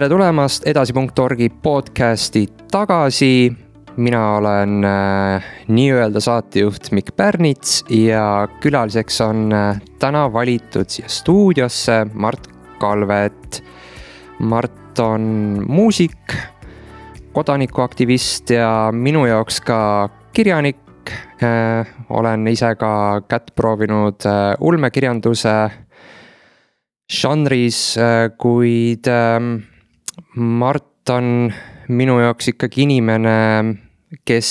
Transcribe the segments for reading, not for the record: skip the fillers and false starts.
tere tulemast edasi.orgi podcasti tagasi. Mina olen nii-öelda saatejuht Mikk Pärnits ja külaliseks on täna valitud siia stuudiosse Mart Kalvet. Mart on muusik, kodanikuaktivist ja minu jaoks ka kirjanik. Olen ise ka kätt proovinud ulmekirjanduse žanris, kuid Mart on minu jaoks ikkagi inimene, kes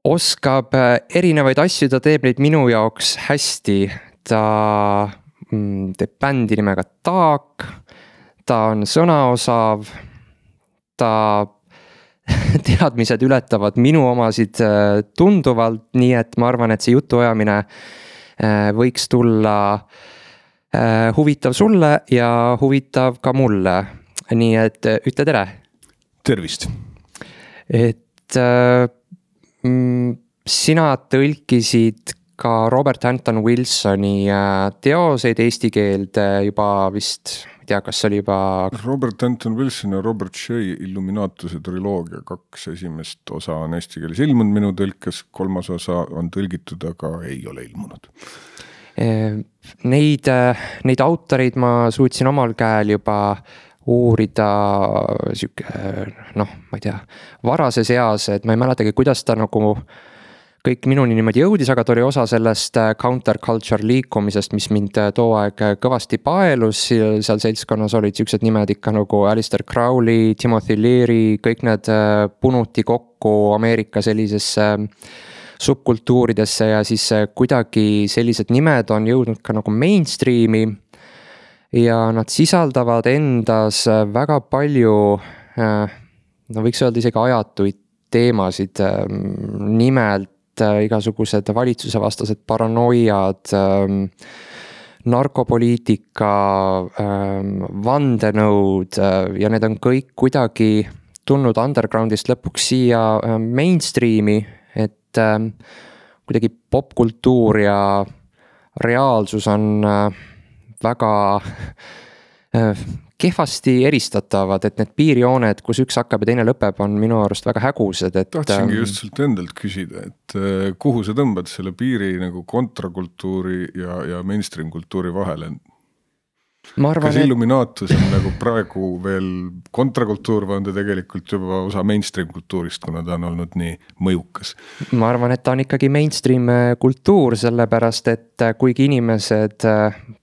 oskab erinevaid asju, ta teeb neid minu jaoks hästi. Ta teeb bändi nimega Taak, ta on sõnaosav, ta teadmised ületavad minu omasid tunduvalt, nii et ma arvan, et see jutuajamine võiks tulla huvitav sulle ja huvitav ka mulle. Nii et ütle tere. Tervist. Et sina tõlkisid ka Robert Anton Wilsoni teoseid eesti keelde juba vist, ei tea, kas oli juba... Robert Anton Wilson ja Robert Shea Illuminatuse triloogia 2 esimest osa on eesti keeles ilmunud minu tõlkes, 3. osa on tõlgitud, aga ei ole ilmunud. Neid autoreid ma suutsin omal käel juba uurida ma ei tea, varases eas, et ma ei mäletagi, kuidas ta nagu kõik minuni niimoodi jõudis, aga ta oli osa sellest counterculture liikumisest, mis mind too aeg kõvasti paelus. Seal seltskonnas olid siuksed nimed ikka nagu Alistair Crowley, Timothy Leary, kõik need punuti kokku Ameerika sellisesse subkultuuridesse ja siis kuidagi sellised nimed on jõudnud ka nagu mainstreami ja nad sisaldavad endas väga palju, võiks öelda isegi ajatuid teemasid, nimelt igasugused valitsuse vastased paranoiad, narkopoliitika, vandenõud ja need on kõik kuidagi tulnud undergroundist lõpuks siia mainstreami, kuidagi popkultuur ja reaalsus on väga kehvasti eristatavad, et need piirjooned, kus üks hakkab ja teine lõpeb, on minu arust väga hägused. Tahtsingi just sult endalt küsida, et kuhu sa tõmbad selle piiri nagu kontrakultuuri ja mainstream kultuuri vahele? Kas Illuminatus on nagu praegu veel kontrakultuur või on ta tegelikult juba osa mainstream kultuurist, kuna ta on olnud nii mõjukas? Ma arvan, et ta on ikkagi mainstream kultuur, sellepärast, et kuigi inimesed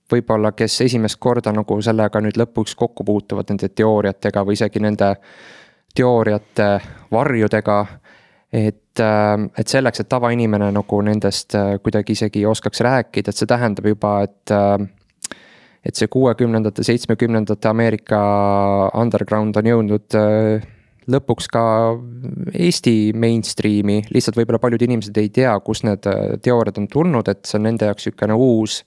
võib-olla, kes esimest korda nagu sellega nüüd lõpuks kokku puutuvad nende teooriatega või isegi nende teooriate varjudega, et selleks, et tavainimene nagu nendest kuidagi isegi oskaks rääkida, et see tähendab juba, et see 60-ndate, 70-ndate Ameerika underground on jõudnud lõpuks ka Eesti mainstreami, lihtsalt võib-olla paljud inimesed ei tea, kus need teooriad on tulnud, et see on nende jaoks ükene uus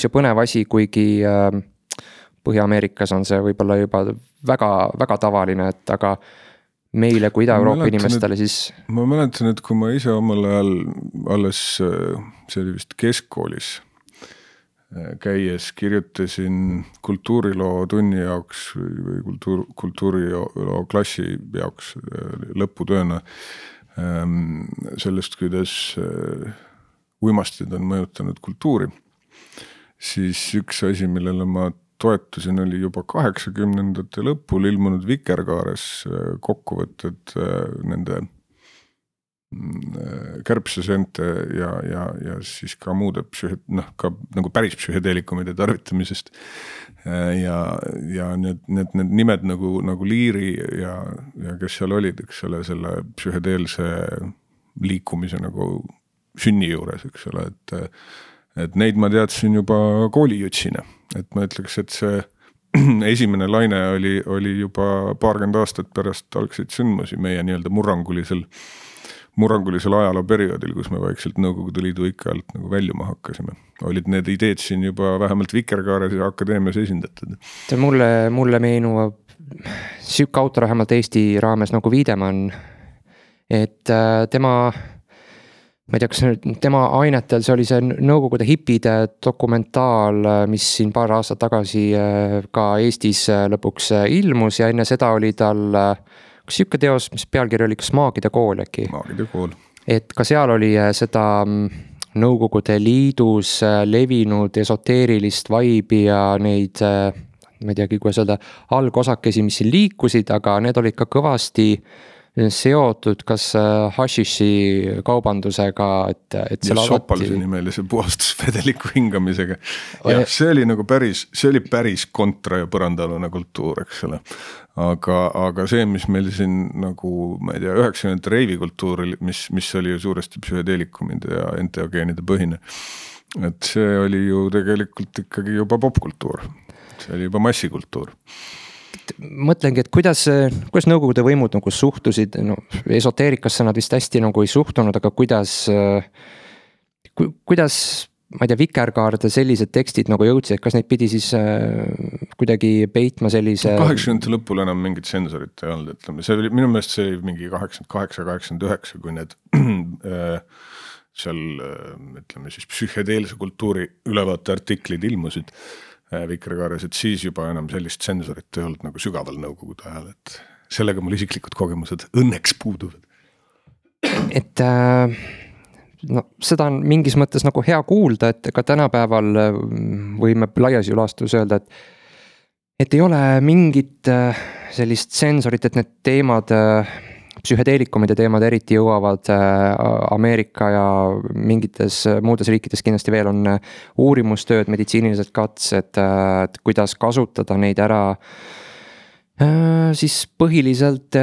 ja põnev asi, kuigi Põhja-Ameerikas on see võib-olla juba väga, väga tavaline, et aga meile kui Ida-Euroopa inimestele siis... Ma mäletan, et kui ma ise omal ajal alles, see oli vist keskkoolis, käies kirjutasin kultuuriloo tunni jaoks või kultuuriloo klassi jaoks lõputööna sellest, kuidas uimastid on mõjutanud kultuuri, siis üks asi, millele ma toetusin, oli juba 80-ndate lõpul ilmunud Vikerkaares kokkuvõtted nende kärbseseente ja siis ka muude ka nagu päris psühhedeelikumide tarvitamisest ja need nimed nagu Liiri ja kes seal olid, eks ole, selle psühhedeelse liikumise nagu sünni juures, eks ole, et neid ma teadsin juba koolijutsina, et ma ütleks, et see esimene laine oli juba paarkümmend aastat pärast algseid sündmusi meie nii-öelda murrangulisel ajaloo perioodil, kus me vaikselt Nõukogude Liidu ikka alt nagu väljuma hakkasime. Olid need ideed siin juba vähemalt Vikerkaares ja akadeemias esindatud. Mulle meenuvad süük autor vähemalt Eesti raames nagu Viidemann, et tema ma ei tea, kas tema ainetel, see oli see Nõukogude hipide dokumentaal, mis siin paar aastat tagasi ka Eestis lõpuks ilmus ja enne seda oli tal kas siuke teos, mis pealkiri oli kas Maagide kool äkki? Maagide kool. Et ka seal oli seda Nõukogude Liidus levinud esoteerilist vaibi ja neid, ma ei teagi, kuidas öelda, algosakesi, mis siin liikusid, aga need olid ka kõvasti seotud kas hašiši kaubandusega, et ja Sopalse nimelise puhastusvedeliku hingamisega. Ja see oli nagu päris kontra ja põrandalune kultuur, eks ole. Aga see, mis meil siin nagu, ma ei tea, 90 reivikultuur, mis oli ju suuresti psühhedeelikumide ja enteogeenide põhine. Et see oli ju tegelikult ikkagi juba popkultuur. See oli juba massikultuur. Mõtlengi, et kuidas Nõukogude võimud nagu suhtusid, no esoteerikasse nad vist hästi nagu ei suhtunud, aga kuidas, ma ei tea, Vikerkaarde sellised tekstid nagu jõudsid, kas neid pidi siis kuidagi peitma sellise 80 lõpul enam mingit sensorit ei olnud, ütleme, see oli, minu meelest see oli mingi 88-89, kui need seal, ütleme siis psühhedeelse kultuuri ülevaate artiklid ilmusid Vikerkaares, et siis juba enam sellist sensorit ei olnud nagu sügaval Nõukogude ajal, et sellega mul isiklikud kogemused õnneks puuduvad. Et no seda on mingis mõttes nagu hea kuulda, et ka tänapäeval võime laias ülastus öelda, et ei ole mingit sellist sensorit, et need teemad, psühhedeelikumide teemad eriti jõuavad Ameerika ja mingites muudes riikides kindlasti veel on uurimustööd, meditsiinilised katsed, kuidas kasutada neid ära siis põhiliselt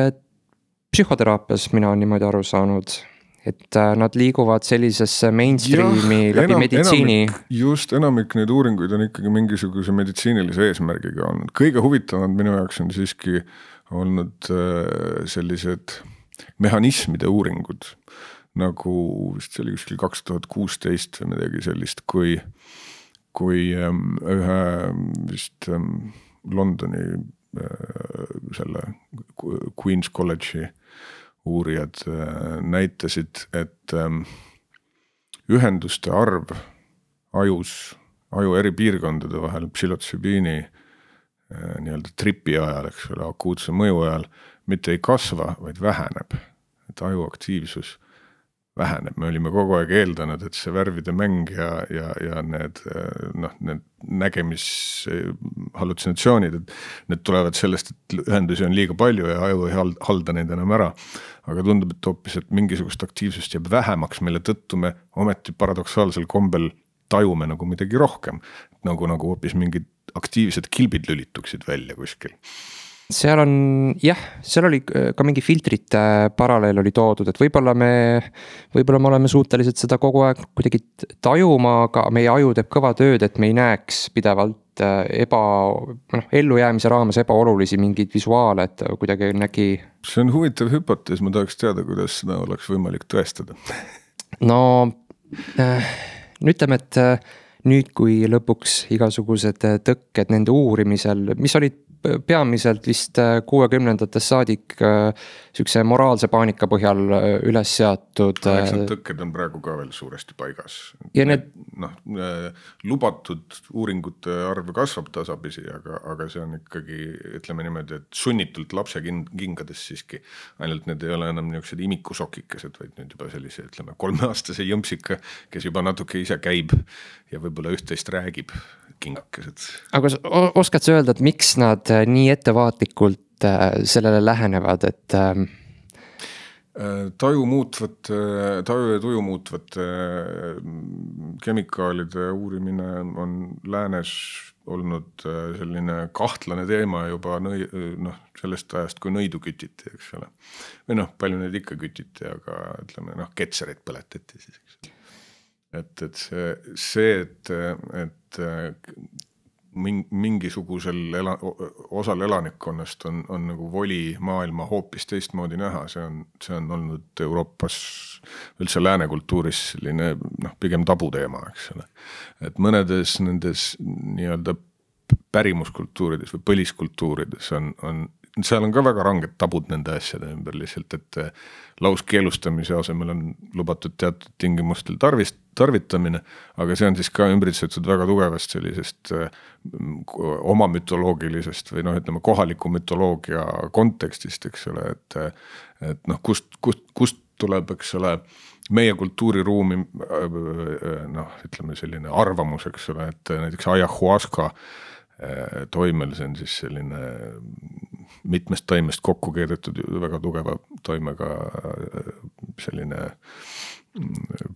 psühhoteraapias, mina olen niimoodi aru saanud, et nad liiguvad sellisesse mainstreami läbi meditsiini. Enamik neid uuringuid on ikkagi mingisuguse meditsiinilise eesmärgiga olnud. Kõige huvitavamad minu jaoks on siiski olnud sellised mehhanismide uuringud, nagu vist see oli kuskil 2016 või midagi sellist, kui ühe vist Londoni selle Queen's College'i uurijad näitasid, et ühenduste arv aju eri piirkondade vahel psühhotsübiini nii-öelda tripi ajal, eks ole, akuutse mõju ajal mitte ei kasva, vaid väheneb. Et aju aktiivsus väheneb. Me olime kogu aeg eeldanud, et see värvide mäng ja need nägemis hallutsinatsioonid, et need tulevad sellest, et ühendusi on liiga palju ja aju ei halda neid enam ära. Aga tundub, et hoopis, et mingisugust aktiivsust jääb vähemaks, mille tõttu me ometi paradoksaalsel kombel tajume nagu midagi rohkem. Nagu hoopis mingid aktiivsed kilbid lülituksid välja kuskil. Seal oli ka mingi filtrite paralleel oli toodud, et võib-olla me oleme suutelised seda kogu aeg kuidagi tajuma, aga meie aju teeb kõva tööd, et me ei näeks pidevalt ellujäämise raames ebaolulisi mingeid visuaale, et kuidagi nägi. See on huvitav hüpotees, ma tahaks teada, kuidas seda oleks võimalik tõestada. No ütleme, et nüüd, kui lõpuks igasugused tõkked nende uurimisel, mis olid peamiselt vist 60-ndates saadik sükse moraalse paanika põhjal üles seatud. Need tõkked on praegu ka veel suuresti paigas. Ja need lubatud uuringute arv kasvab tasapisi, aga see on ikkagi, ütleme niimoodi, et sunnitult lapse kingades siiski. Ainult need ei ole enam niisugused imikusokikesed, vaid nüüd juba sellise, ütleme, 3-aastase jõmpsika, kes juba natuke ise käib ja võib-olla üht-teist räägib kingakesed. Aga oskad sa öelda, et miks nad nii ettevaatlikult sellele lähenevad, et taju ja tuju muutvate kemikaalide uurimine on läänes olnud selline kahtlane teema juba sellest ajast, kui nõidu kütiti, eks ole. Või palju neid ikka kütiti, aga ütleme, ketsereid põletati siis, eks ole. Et mingisugusel osal elanikkonnast on nagu voli maailma hoopis teistmoodi näha, see on olnud Euroopas üldse läänekultuuris selline pigem tabuteema, eks ole. Et mõnedes nendes nii-öelda pärimuskultuurides või põliskultuurides on seal on ka väga ranged tabud nende asjade ümber lihtsalt, et lauskeelustamise asemel on lubatud teatud tingimustel tarvitamine, aga see on siis ka ümbritsetud väga tugevast sellisest oma mütoloogilisest või ütleme kohaliku mütoloogia kontekstist, eks ole, et noh, kust tuleb, eks ole, meie kultuuriruumi ütleme selline arvamus, eks ole, et näiteks ayahuasca toimel, see on siis selline mitmest taimest kokku keedetud väga tugeva toimega selline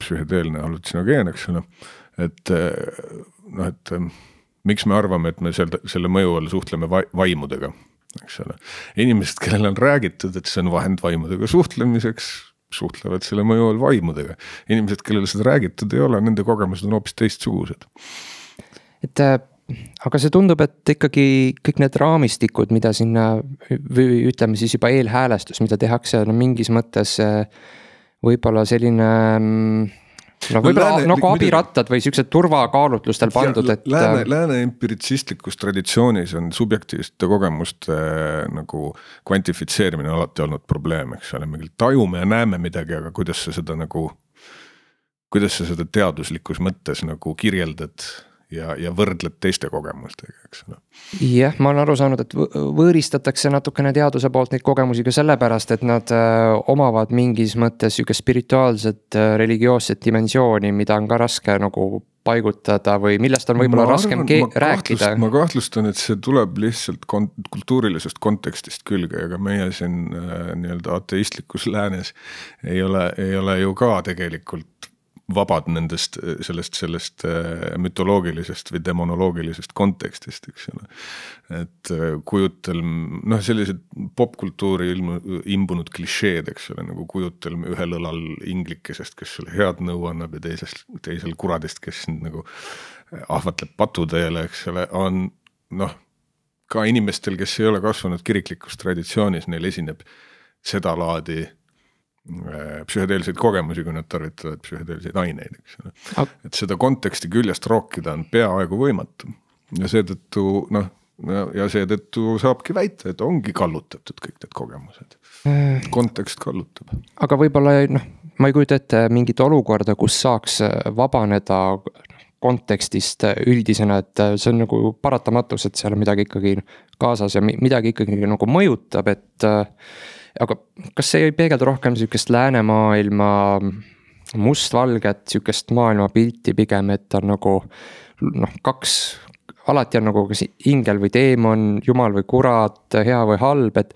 psühhedeelne hallutsinogeen, eks ole, et miks me arvame, et me selle mõju all suhtleme vaimudega, eks ole. Inimesed, kellel on räägitud, et see on vahend vaimudega suhtlemiseks, suhtlevad selle mõju all vaimudega. Inimesed, kellel seda räägitud ei ole, nende kogemused on hoopis teistsugused. Aga see tundub, et ikkagi kõik need raamistikud, mida sinna või ütleme siis juba eelhäälestus, mida tehakse, mingis mõttes võib-olla selline võib-olla nagu abirattad või siuksed turvakaalutlustel pandud, et Lääne empiritsistlikus traditsioonis on subjektiivsete kogemuste nagu kvantifitseerimine alati olnud probleem, eks ole, me tajume ja näeme midagi, aga kuidas sa seda teaduslikus mõttes nagu kirjeldad ja võrdled teiste kogemustega, eks ole. Jah, ma olen aru saanud, et võõristatakse natukene teaduse poolt neid kogemusi ka sellepärast, et nad omavad mingis mõttes siuke spirituaalset, religioosset dimensiooni, mida on ka raske nagu paigutada või millest on võib-olla raskem rääkida. Ma kahtlustan, et see tuleb lihtsalt kultuurilisest kontekstist külge, aga meie siin nii-öelda ateistlikus läänes ei ole ju ka tegelikult vabad nendest sellest mütoloogilisest või demonoloogilisest kontekstist, eks ole. Et kujutelm, sellised popkultuuri imbunud klišeed, eks ole, nagu kujutelm ühel õlal inglikesest, kes sulle head nõu annab ja teisel kuradist, kes nagu ahvatleb patuteele, eks ole, on ka inimestel, kes ei ole kasvanud kiriklikus traditsioonis, neil esineb seda laadi psühhedeelseid kogemusi, kui nad tarvitavad psühhedeelseid aineid, eks ole. Et seda konteksti küljest rookida on peaaegu võimatu ja seetõttu saabki väita, et ongi kallutatud kõik need kogemused. Kontekst kallutab. Aga võib-olla, ma ei kujuta ette mingit olukorda, kus saaks vabaneda kontekstist üldisena, et see on nagu paratamatus, et seal on midagi ikkagi kaasas ja midagi ikkagi nagu mõjutab, et aga kas see ei peegelda rohkem siukest läänemaailma mustvalget, siukest maailmapilti pigem, et on nagu alati on nagu kas ingel või teemon, jumal või kurat, hea või halb, et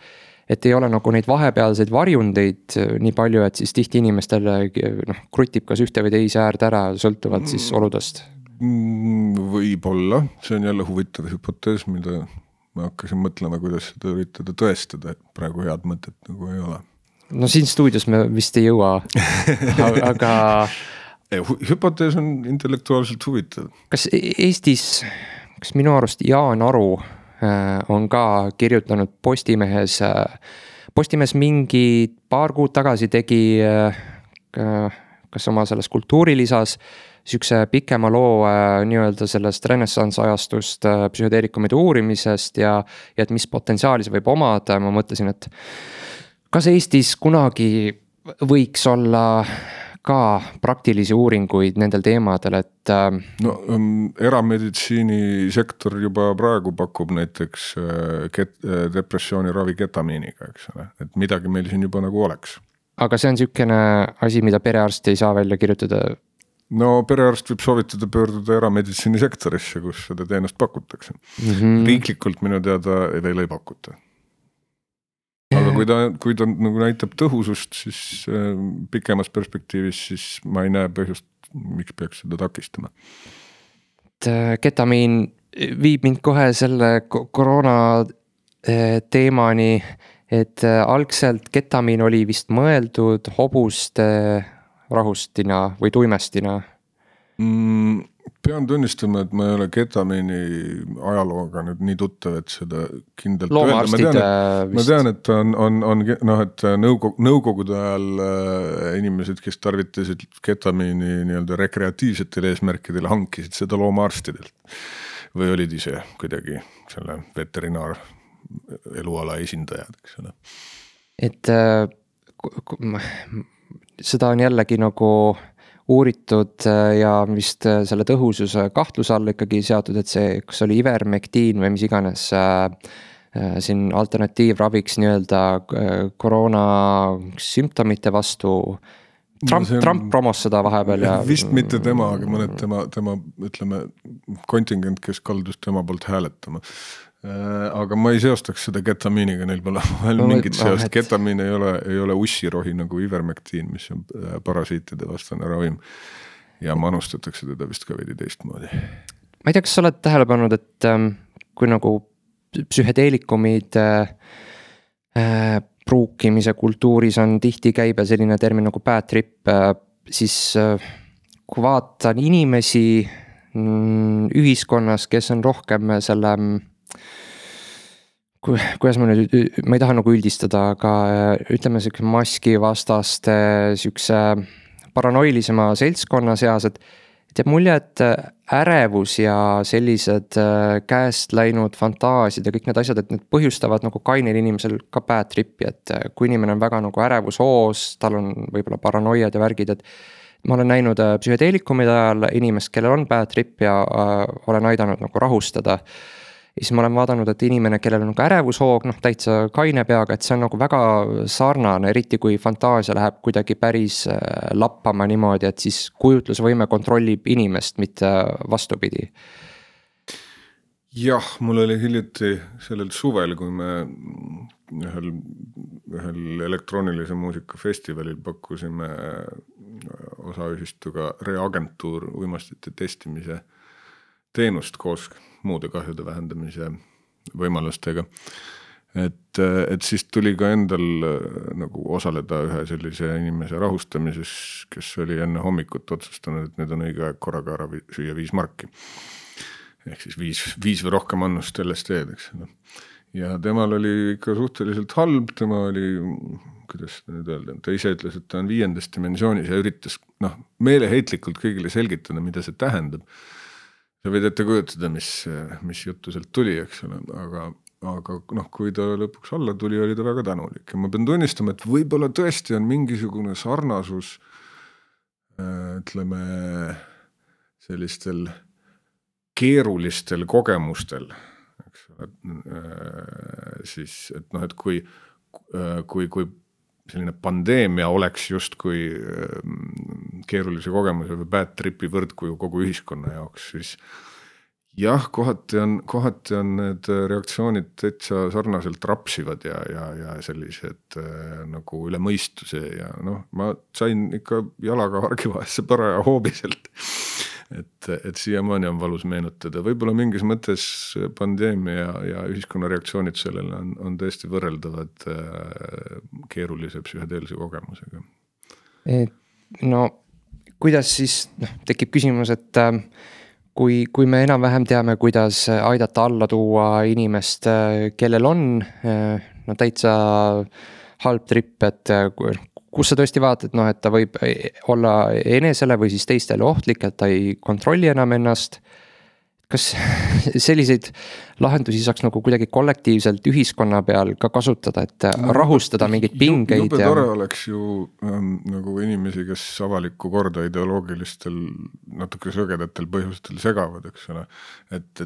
ei ole nagu neid vahepealseid varjundeid nii palju, et siis tihti inimestele krutib kas ühte või teise äärde ära, sõltuvad siis oludest. Võib-olla, see on jälle huvitav hüpotees, mida ma hakkasin mõtlema, kuidas seda üritada tõestada, et praegu head mõtet nagu ei ole. No siin stuudios me vist ei jõua, aga hüpotees on intellektuaalselt huvitav. Kas Eestis, kas minu arust Jaan Aru on ka kirjutanud Postimees mingi paar kuud tagasi tegi kas oma selles kultuurilisas siukse pikema loo nii-öelda sellest renessans ajastust psühhedeelikumide uurimisest ja et mis potentsiaali see võib omada, ma mõtlesin, et kas Eestis kunagi võiks olla ka praktilisi uuringuid nendel teemadel, et erameditsiinisektor juba praegu pakub näiteks depressiooni ravi ketamiiniga, eks ole, et midagi meil siin juba nagu oleks. Aga see on siukene asi, mida perearst ei saa välja kirjutada? No perearst võib soovitada pöörduda erameditsiinisektorisse, kus seda teenust pakutakse. Riiklikult minu teada veel ei pakuta. Aga kui ta nagu näitab tõhusust, siis pikemas perspektiivis, siis ma ei näe põhjust, miks peaks seda takistama. Ketamiin viib mind kohe selle koroona teemani, et algselt ketamiin oli vist mõeldud hobuste rahustina või tuimestina? Pean tunnistama, et ma ei ole ketamiini ajalooga nüüd nii tuttav, et seda kindlalt öelda. Ma tean, et et nõukogude ajal inimesed, kes tarvitasid ketamiini nii-öelda rekreatiivsetel eesmärkidel, hankisid seda loomaarstidelt või olid ise kuidagi selle veterinaar eluala esindajad, eks ole. Et seda on jällegi nagu uuritud ja vist selle tõhususe kahtluse alla ikkagi seatud, et see, kas oli ivermektiin või mis iganes siin alternatiivraviks nii-öelda koroona sümptomite vastu. Trump promos seda vahepeal ja. Vist mitte tema, aga mõned tema ütleme kontingent, kes kaldus tema poolt hääletama. Aga ma ei seostaks seda ketamiiniga, neil pole mingit seost. Ketamiin ei ole ussirohi nagu ivermektiin, mis on parasiitide vastane ravim ja manustatakse teda vist ka veidi teistmoodi. Ma ei tea, kas sa oled tähele pannud, et kui nagu psühhedeelikumid pruukimise kultuuris on tihti käibe selline termin nagu bad trip, siis kui vaatan inimesi ühiskonnas, kes on rohkem selle, kuidas ma nüüd, ma ei taha nagu üldistada, aga ütleme selline maski vastaste sükse paranoilisema seltskonna seas, et jääb mulje, et ärevus ja sellised käest läinud fantaasiad ja kõik need asjad, et need põhjustavad nagu kainel inimesel ka bad tripi, et kui inimene on väga nagu ärevushoos, tal on võib-olla paranoiad ja värgid, et ma olen näinud psühhedeelikumide ajal inimest, kellel on bad trip ja olen aidanud nagu rahustada. Ja siis ma olen vaadanud, et inimene, kellel on nagu ärevushoog, täitsa kaine peaga, et see on nagu väga sarnane, eriti kui fantaasia läheb kuidagi päris lappama niimoodi, et siis kujutlusvõime kontrollib inimest, mitte vastupidi. Jah, mul oli hiljuti sellel suvel, kui me ühel elektroonilise muusika festivalil pakkusime osaühistuga Reagentuur uimastite testimise teenust koos muude kahjude vähendamise võimalustega. Et siis tuli ka endal nagu osaleda ühe sellise inimese rahustamises, kes oli enne hommikut otsustanud, et need on õige aeg korraga ära süüa 5 marki. Ehk siis 5 või rohkem annust LSD-d, eks. Ja temal oli ikka suhteliselt halb, tema oli, kuidas nüüd öelda, ta ise ütles, et ta on 5. dimensioonis ja üritas meeleheitlikult kõigile selgitada, mida see tähendab. Sa võid ette kujutada, mis juttu sealt tuli, eks ole, aga kui ta lõpuks alla tuli, oli ta väga tänulik. Ja ma pean tunnistama, et võib-olla tõesti on mingisugune sarnasus, ütleme, sellistel keerulistel kogemustel, eks ole, siis, et kui selline pandeemia oleks just kui keerulise kogemuse või bad tripi võrdkuju kogu ühiskonna jaoks, siis jah, kohati on need reaktsioonid täitsa sarnaselt rapsivad ja sellised nagu üle mõistuse ja ma sain ikka jalaga hargivahesse paraja hoobiselt. Et siiamaani on valus meenutada. Võib-olla mingis mõttes pandeemia ja ühiskonna reaktsioonid sellele on tõesti võrreldavad keerulise psühhedeelse kogemusega. No, kuidas siis tekib küsimus, et kui me enam-vähem teame, kuidas aidata alla tuua inimest, kellel on täitsa halb trip, et kus sa tõesti vaatad, et ta võib olla enesele või siis teistele ohtlik, et ta ei kontrolli enam ennast. Kas selliseid lahendusi saaks nagu kuidagi kollektiivselt ühiskonna peal ka kasutada, et rahustada mingeid pingeid? Jube tore oleks ju nagu inimesi, kes avalikku korda ideoloogilistel natuke sõgedatel põhjustel segavad, eks ole. Et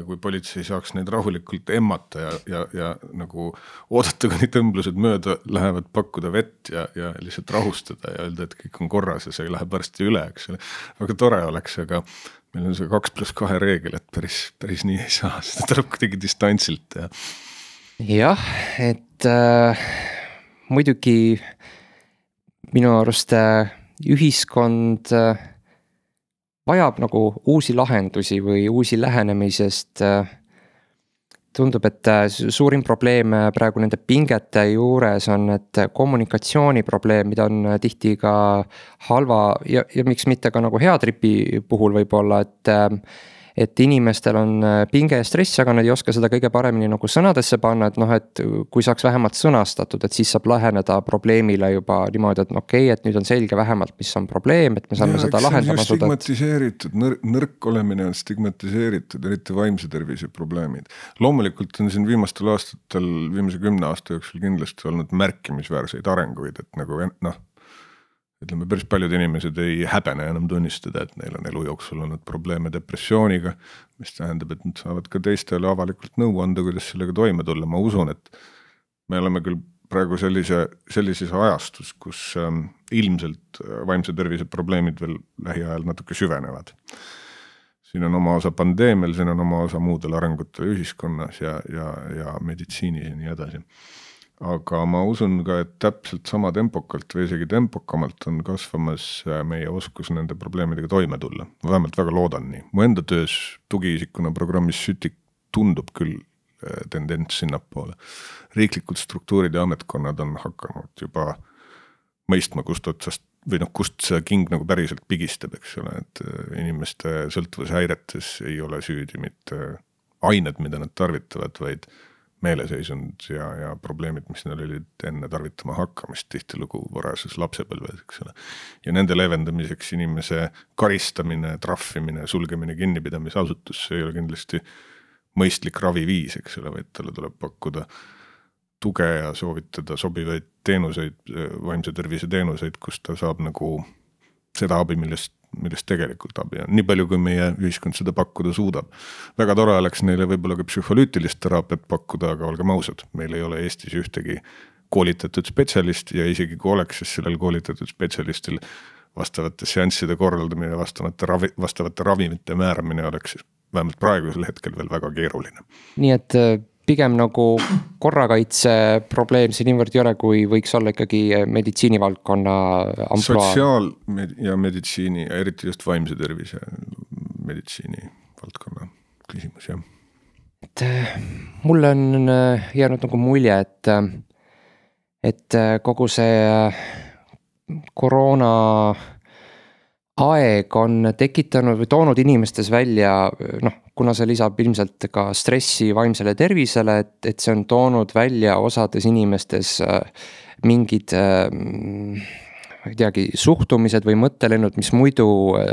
kui politsei saaks neid rahulikult emmata ja nagu oodata, kui neid tõmblused mööda lähevad, pakkuda vett ja lihtsalt rahustada ja öelda, et kõik on korras ja see läheb varsti üle, eks ole. Väga tore oleks, aga meil on see 2+2 reegel, et päris nii ei saa, seda tuleb kuidagi distantsilt. Jah, et muidugi minu arust ühiskond vajab nagu uusi lahendusi või uusi lähenemisest. Tundub, et suurim probleem praegu nende pingete juures on, et kommunikatsiooni probleem, mida on tihti ka halva ja miks mitte ka nagu hea tripi puhul võib olla, et inimestel on pinge ja stress, aga nad ei oska seda kõige paremini nagu sõnadesse panna, et noh, et kui saaks vähemalt sõnastatud, et siis saab läheneda probleemile juba niimoodi, et okei, et nüüd on selge vähemalt, mis on probleem, et me saame seda lahendama asuda. Stigmatiseeritud, nõrk olemine on stigmatiseeritud, eriti vaimse tervise probleemid. Loomulikult on siin viimastel aastatel, viimase 10 aasta jooksul kindlasti olnud märkimisväärseid arenguid, et nagu ütleme, päris paljud inimesed ei häbene enam tunnistada, et neil on elu jooksul olnud probleeme depressiooniga, mis tähendab, et nad saavad ka teistele avalikult nõu anda, kuidas sellega toime tulla. Ma usun, et me oleme küll praegu sellises ajastus, kus ilmselt vaimse tervise probleemid veel lähiajal natuke süvenevad. Siin on oma osa pandeemial, siin on oma osa muudel arengutel ühiskonnas ja meditsiinis ja nii edasi. Aga ma usun ka, et täpselt sama tempokalt või isegi tempokamalt on kasvamas meie oskus nende probleemidega toime tulla. Ma vähemalt väga loodan nii. Mu enda töös tugiisikuna programmis Sütik tundub küll tendents sinnapoole. Riiklikud struktuurid ja ametkonnad on hakanud juba mõistma, kust otsast või kust see king nagu päriselt pigistab, eks ole, et inimeste sõltuvushäiretes ei ole süüdi mitte ained, mida nad tarvitavad, vaid meeleseisund ja probleemid, mis neil olid enne tarvitama hakkamist tihtilugu varases lapsepõlves, eks ole. Ja nende leevendamiseks inimese karistamine, trahvimine, sulgemine kinnipidamisasutus, see ei ole kindlasti mõistlik raviviis, eks ole, vaid talle tuleb pakkuda tuge ja soovitada sobivaid teenuseid, vaimse tervise teenuseid, kus ta saab nagu seda abi, millest tegelikult abi on. Nii palju, kui meie ühiskond seda pakkuda suudab. Väga tore oleks neile võib-olla ka psühholüütilist teraapiat pakkuda, aga olgem ausad, meil ei ole Eestis ühtegi koolitatud spetsialisti ja isegi kui oleks, siis sellel koolitatud spetsialistil vastavate seansside korraldamine ja vastavate ravimite määramine oleks vähemalt praegusel hetkel veel väga keeruline. Nii et pigem nagu korrakaitse probleem siin niivõrd ei ole, kui võiks olla ikkagi meditsiinivaldkonna amploa. Sotsiaal- ja meditsiini ja eriti just vaimse tervise meditsiini valdkonna küsimus, jah. Et mulle on jäänud nagu mulje, et kogu see koroona aeg on tekitanud või toonud inimestes välja, kuna see lisab ilmselt ka stressi vaimsele tervisele, et see on toonud välja osades inimestes mingid ei teagi, suhtumised või mõttelennud, mis muidu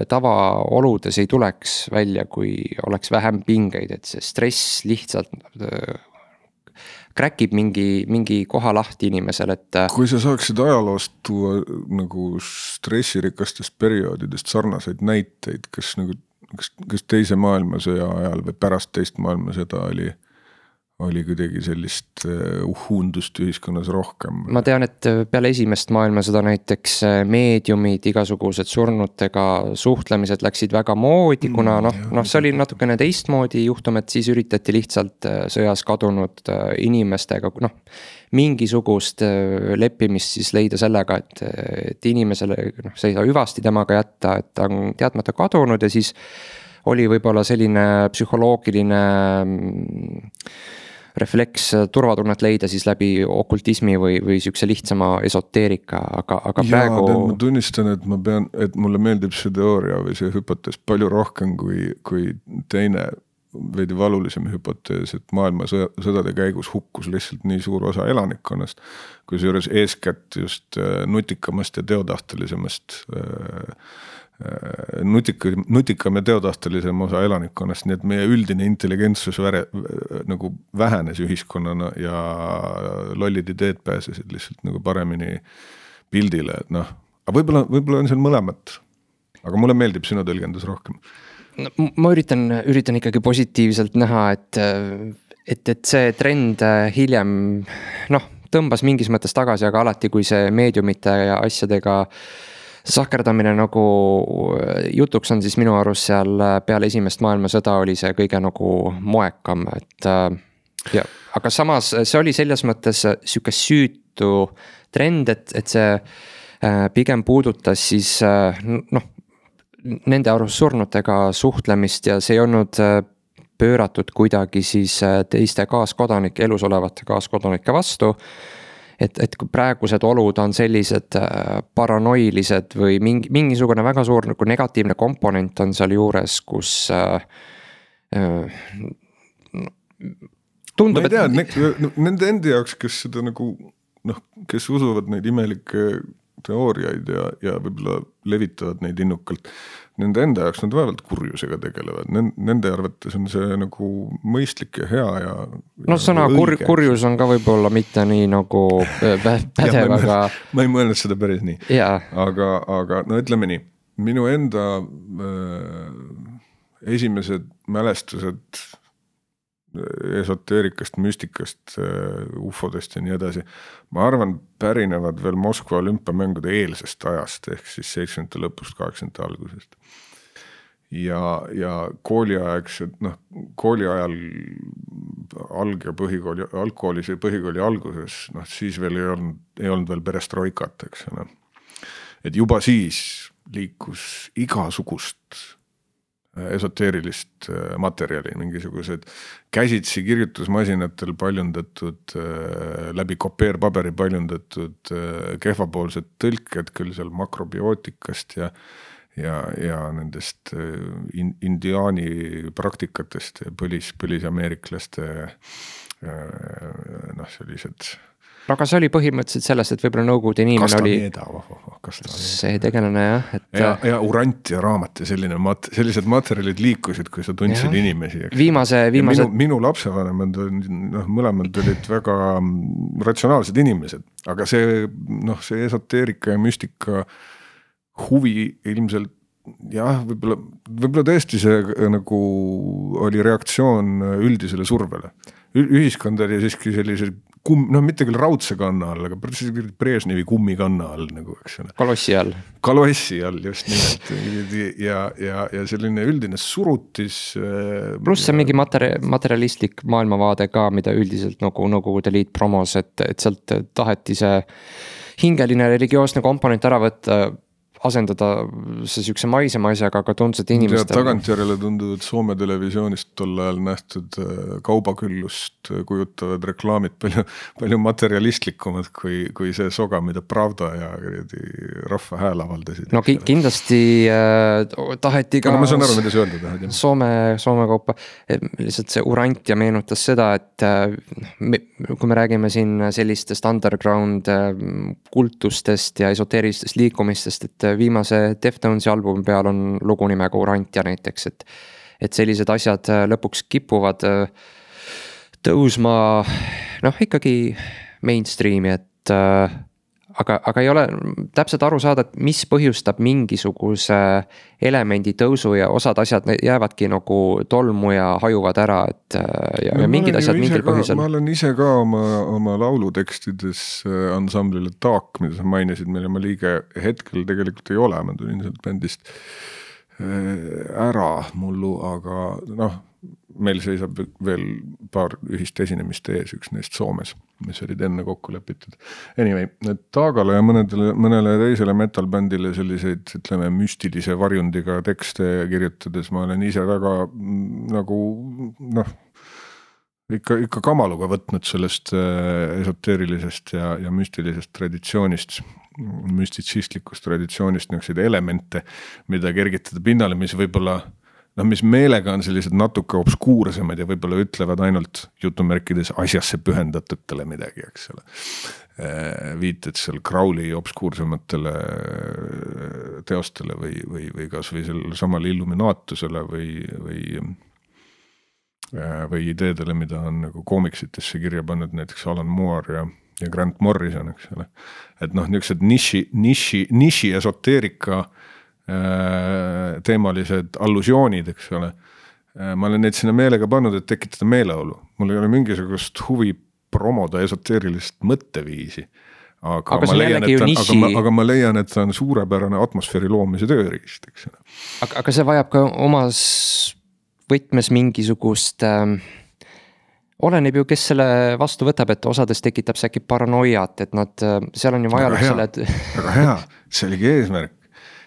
tavaoludes ei tuleks välja, kui oleks vähem pingeid, et see stress lihtsalt kräkib mingi koha lahti inimesel, et kui sa saaksid ajaloost tuua nagu stressirikastest perioodidest sarnaseid näiteid, kas teise maailmasõja ajal või pärast teist maailmasõda oli kuidagi sellist uhuundust ühiskonnas rohkem? Ma tean, et peale esimest maailmasõda näiteks meediumid, igasugused surnutega suhtlemised läksid väga moodi, kuna see oli natukene teistmoodi juhtum, et siis üritati lihtsalt sõjas kadunud inimestega mingisugust leppimist siis leida sellega, et inimesele see ei saa hüvasti temaga jätta, et ta on teadmata kadunud ja siis oli võib-olla selline psühholoogiline refleks turvatunnet leida siis läbi okultismi või siukse lihtsama esoteerika, aga praegu... Ma tunnistan, et mulle meeldib see teooria või see hüpotees palju rohkem kui teine veidi valulisem hüpotees, et maailma sõdade käigus hukkus lihtsalt nii suur osa elanikkonnast, kui seejuures eeskätt just nutikamast ja teodahtelisemast nutikam ja teodahtelisem osa elanikkonnast, nii et meie üldine intelligentsus nagu vähenes ühiskonnana ja lollid ideed pääsesid lihtsalt nagu paremini pildile, et aga võib-olla on seal mõlemat, aga mulle meeldib sinu tõlgendus rohkem. Ma üritan ikkagi positiivselt näha, et see trend hiljem tõmbas mingis mõttes tagasi, aga alati kui see meediumite ja asjadega sakerdamine nagu jutuks on, siis minu arust seal peale esimest maailmasõda oli see kõige nagu moekam, aga samas see oli selles mõttes siuke süütu trend, et see pigem puudutas siis nende arust surnutega suhtlemist ja see ei olnud pööratud kuidagi siis teiste kaaskodanike, elus olevate kaaskodanike vastu. Et kui praegused olud on sellised paranoilised või mingisugune väga suur nagu negatiivne komponent on seal juures, kus tundub, ma ei tea, nende endi jaoks, kes seda nagu kes usuvad neid imelikke teooriaid ja võib-olla levitavad neid innukalt, nende enda jaoks nad vaevalt kurjusega tegelevad, nende arvates on see nagu mõistlik ja hea ja sõna kurjus on ka võib-olla mitte nii nagu pädev, aga ma ei mõelnud seda päris nii, aga no ütleme nii, minu enda esimesed mälestused esoteerikast, müstikast, ufodest ja nii edasi, ma arvan, pärinevad veel Moskva olümpiamängude eelsest ajast, ehk siis 70. lõpust, 80. algusest. Ja kooliaegsed, kooli ajal alg- ja põhikooli, algkoolis ja põhikooli alguses, siis veel ei olnud veel perestroikat, eks ole. Et juba siis liikus igasugust esoteerilist materjali, mingisugused käsitsi kirjutusmasinatel paljundatud, läbi kopeerpaberi paljundatud kehvapoolsed tõlked, küll seal makrobiootikast ja nendest indiaani praktikatest ja põlisameeriklaste sellised. Aga see oli põhimõtteliselt sellest, et võib-olla Nõukogude inimene see tegelane jah. Ja urant ja raamat ja sellised materjalid liikusid, kui sa tundsid inimesi. Minu lapsevanemad mõlemad olid väga ratsionaalsed inimesed, aga see esoteerika ja müstika huvi ilmselt jah, võib-olla tõesti see nagu oli reaktsioon üldisele survele. Ühiskond oli siiski sellise mitte küll raudse kanna all, aga Brežnevi kummikanna all nagu, eks ole. Kalossi all, just nimelt. Ja selline üldine surutis. Pluss see mingi materialistlik maailmavaade ka, mida üldiselt nagu te liit promos, et sealt taheti see hingeline religioosne komponent ära võtta, asendada see sükse maisema asjaga, aga tundsed inimestel. Tagantjärele tunduvad Soome televisioonist tol ajal nähtud kaubaküllust kujutavad reklaamid palju materialistlikumad kui see soga, mida Pravda ja rahva hääl avaldasid. No kindlasti taheti ka ma saan aru, mida see öelda tahad. Soome kaupa. Lihtsalt see urant ja meenutas seda, et kui me räägime siin sellistest underground kultustest ja esoteerilistest liikumistest, et viimase Deftonesi albumi peal on lugu nimega Urantja näiteks, et sellised asjad lõpuks kipuvad tõusma ikkagi mainstreami, et aga ei ole täpselt aru saada, et mis põhjustab mingisuguse elemendi tõusu ja osad asjad jäävadki nagu tolmu ja hajuvad ära, ja mingid asjad mingil põhjusel. Ma olen ise ka oma laulutekstides ansamblile Taak, mida sa mainisid, mille ma liige hetkel tegelikult ei ole, ma tulin sealt bändist ära mullu, aga meil seisab veel paar ühist esinemist ees, üks neist Soomes, mis olid enne kokku lepitud. Anyway, Taagale ja mõnele teisele metalbändile selliseid, ütleme, müstilise varjundiga tekste kirjutades ma olen ise väga nagu, ikka kamaluga võtnud sellest esoteerilisest ja müstilisest traditsioonist, müstitsistlikust traditsioonist niisuguseid elemente, mida kergitada pinnale, mis võib-olla mis meelega on sellised natuke obskuursemad ja võib-olla ütlevad ainult jutumärkides asjasse pühendatutele midagi, eks ole. Viited seal Crowley obskuursematele teostele või kas või sellel samal illuminaatusele või ideedele, mida on nagu koomiksitesse kirja pannud näiteks Alan Moore ja Grant Morrison, eks ole. Et niisugused niši esoteerika teemalised allusioonid, eks ole. Ma olen neid sinna meelega pannud, et tekitada meeleolu. Mul ei ole mingisugust huvi promoda esoteerilist mõtteviisi. Aga ma leian, et ta on suurepärane atmosfääri loomise tööriist, eks ole. Aga see vajab ka omas võtmes mingisugust oleneb ju, kes selle vastu võtab, et osades tekitab see äkki paranoiat, et seal on ju vajalik selle Väga hea, see oligi eesmärk.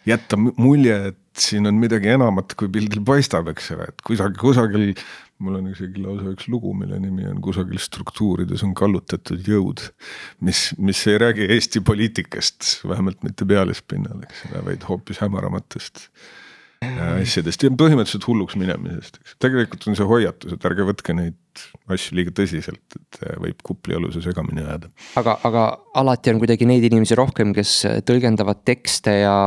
Jätta mulje, et siin on midagi enamat, kui pildil paistab, eks ole, et kusagil, mul on isegi lausa üks lugu, mille nimi on kusagil struktuurides on kallutatud jõud, mis ei räägi Eesti poliitikast, vähemalt mitte pealispinnal, eks ole, vaid hoopis hämaramatest asjadest ja põhimõtteliselt hulluks minemisest, eks. Tegelikult on see hoiatus, et ärge võtke neid asju liiga tõsiselt, et võib kuplialuse segamini ajada. Aga alati on kuidagi neid inimesi rohkem, kes tõlgendavad tekste ja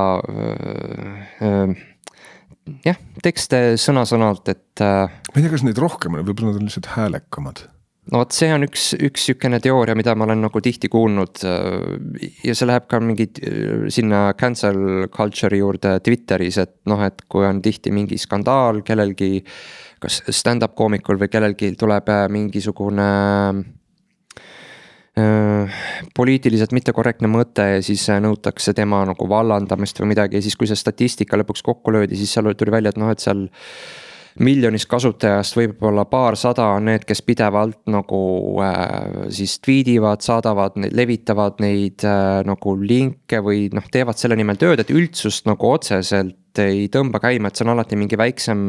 tekste sõna-sõnalt, et ma ei tea, kas neid rohkem on, võib-olla nad on lihtsalt häälekamad. No vot, see on üks sükene teooria, mida ma olen nagu tihti kuulnud ja see läheb ka mingid sinna cancel culture'i juurde Twitteris, et noh, et kui on tihti mingi skandaal kellelgi, kas stand-up koomikul või kellelgi tuleb mingisugune poliitiliselt mittekorrektne mõte ja siis nõutakse tema nagu vallandamist või midagi ja siis kui see statistika lõpuks kokku löödi, siis seal tuli välja, et noh, et seal miljonist kasutajast võib-olla paarsada on need, kes pidevalt nagu siis tweedivad, saadavad, levitavad neid nagu linke või noh, teevad selle nimel tööd, et üldsust nagu otseselt ei tõmba käima, et see on alati mingi väiksem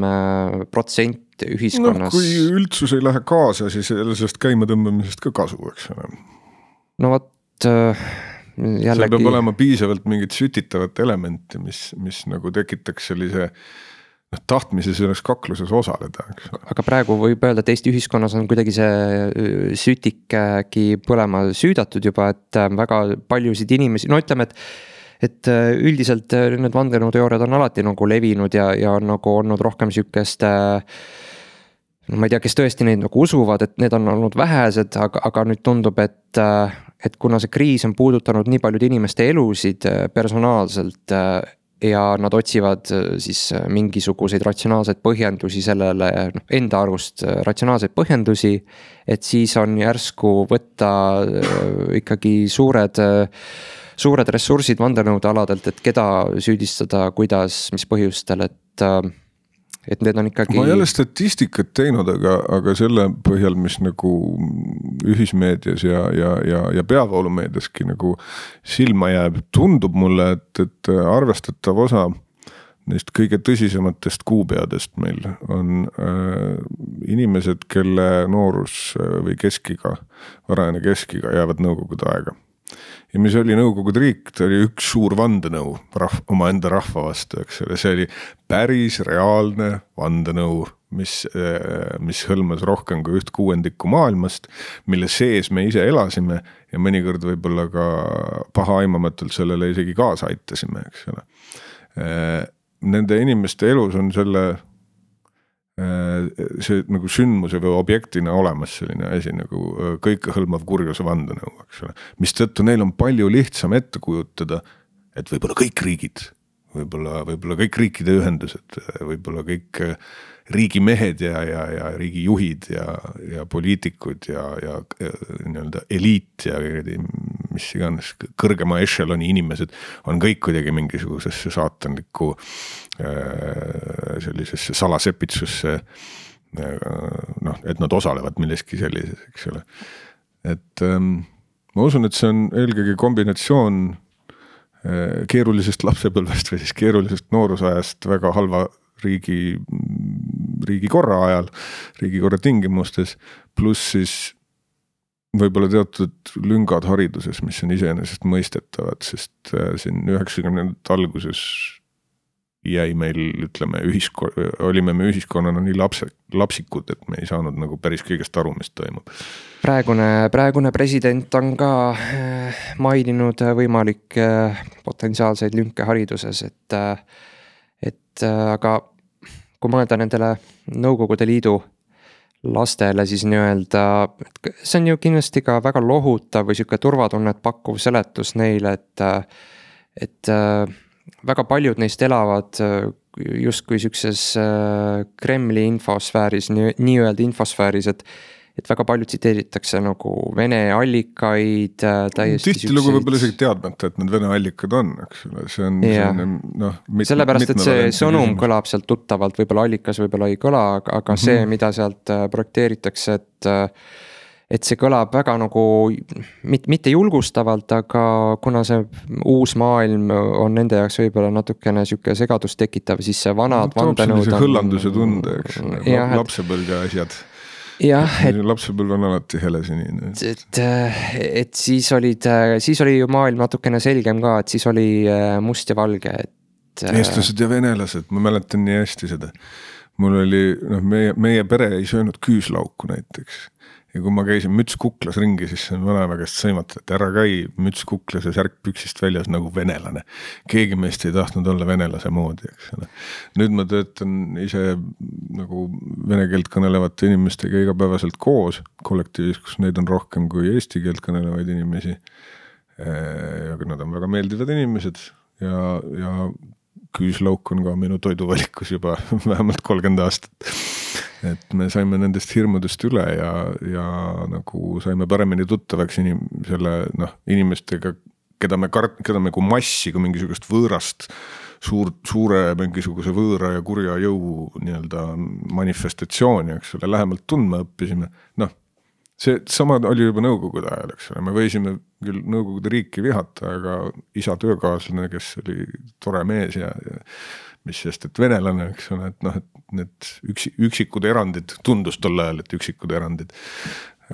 protsent ühiskonnas. No kui üldsus ei lähe kaasa, siis sellest käima tõmbamisest ka kasu, eks ole. No vot jällegi. See peab olema piisavalt mingit sütitavat elementi, mis nagu tekitaks sellise tahtmise selles kakluses osaleda. Aga praegu võib öelda, et Eesti ühiskonnas on kuidagi see sütikki põlema süüdatud juba, et väga paljusid inimesi, no ütleme, et üldiselt need vandenõuteooriad on alati nagu levinud ja on nagu olnud rohkem sükest, no ma ei tea, kes tõesti neid nagu usuvad, et need on olnud vähesed, aga nüüd tundub, et kuna see kriis on puudutanud nii paljude inimeste elusid personaalselt ja nad otsivad siis mingisuguseid ratsionaalseid põhjendusi sellele, enda arust ratsionaalseid põhjendusi, et siis on järsku võtta ikkagi suured ressursid vandenõude aladelt, et keda süüdistada, kuidas, mis põhjustel, et need on ikkagi. Ma ei ole statistikat teinud, aga selle põhjal, mis nagu ühismeedias ja peavoolumeediaski nagu silma jääb, tundub mulle, et arvestatav osa neist kõige tõsisematest kuupeadest meil on inimesed, kelle noorus või keskiga, varajane keskiga jäävad nõukogude aega. Ja mis oli Nõukogude riik, ta oli üks suur vandenõu oma enda rahva vastu, eks ole, see oli päris reaalne vandenõu, mis hõlmas rohkem kui 1/6 maailmast, mille sees me ise elasime ja mõnikord võib-olla ka pahaaimamatult sellele isegi kaasa aitasime, eks ole. Nende inimeste elus on see nagu sündmuse või objektina olemas selline asi nagu kõikehõlmav kurjuse vandenõu, eks ole. Mistõttu neil on palju lihtsam ette kujutada, et võib-olla kõik riigid, võib-olla kõik riikide ühendused, võib-olla kõik riigimehed ja riigijuhid ja poliitikud ja nii-öelda eliit ja mis iganes kõrgema ešeloni inimesed on kõik kuidagi mingisugusesse saatanlikku sellisesse salasepitsusse, noh, et nad osalevad milleski sellises, eks ole. Et ma usun, et see on eelkõige kombinatsioon keerulisest lapsepõlvest või siis keerulisest noorusajast väga halva riigikorra ajal, riigikorra tingimustes, pluss siis võib-olla teatud lüngad hariduses, mis on iseenesest mõistetavad, sest siin 90. alguses jäi meil, ütleme, olime me ühiskonnana nii lapsikud, et me ei saanud nagu päris kõigest aru, mis toimub. Praegune president on ka maininud võimalik potentsiaalseid lünke hariduses, et aga kui mõelda nendele Nõukogude Liidu lastele, siis nii-öelda, see on ju kindlasti ka väga lohutav või siuke turvatunnet pakkuv seletus neile, et väga paljud neist elavad justkui siukses Kremli infosfääris, nii-öelda infosfääris, et väga palju tsiteeritakse nagu Vene allikaid täiesti tihtilugu võib-olla isegi teadmata, et need Vene allikad on, eks ole, see on sellepärast, et see sõnum kõlab sealt tuttavalt, võib-olla allikas võib-olla ei kõla, aga see, mida sealt projekteeritakse, et see kõlab väga nagu mitte julgustavalt, aga kuna see uus maailm on nende jaoks võib-olla natukene siuke segadust tekitav, siis see vanad vandenõud on hõllanduse tunde, eks lapsepõlge asjad. Jah, lapsepõlv on alati helesinine. Et siis oli ju maailm natukene selgem ka, et siis oli must ja valge, eestlased ja venelased, ma mäletan nii hästi seda. Mul oli, meie pere ei söönud küüslauku näiteks. Ja kui ma käisin müts kuklas ringi, siis see on vanaema käest sõimata, et ära käi müts kuklas ja särk püksist väljas nagu venelane. Keegi meist ei tahtnud olla venelase moodi, eks ole. Nüüd ma töötan ise nagu vene keelt kõnelevate inimestega igapäevaselt koos kollektiivis, kus neid on rohkem kui eesti keelt kõnelevaid inimesi. Ja nad on väga meeldivad inimesed ja küüslauk on ka minu toiduvalikus juba vähemalt 30 aastat. Et me saime nendest hirmudest üle ja nagu saime paremini tuttavaks inimestega, keda me kui massi, kui mingisugust võõrast, suure mingisuguse võõra ja kurja jõu manifestatsiooni, eks ole, lähemalt tundma õppisime. See sama oli juba nõukogude ajal, eks ole, me võisime küll nõukogude riiki vihata, aga isa töökaaslane, kes oli tore mees ja mis sest, et venelane, eks ole, et need üksikud erandid, tundus tol ajal, et üksikud erandid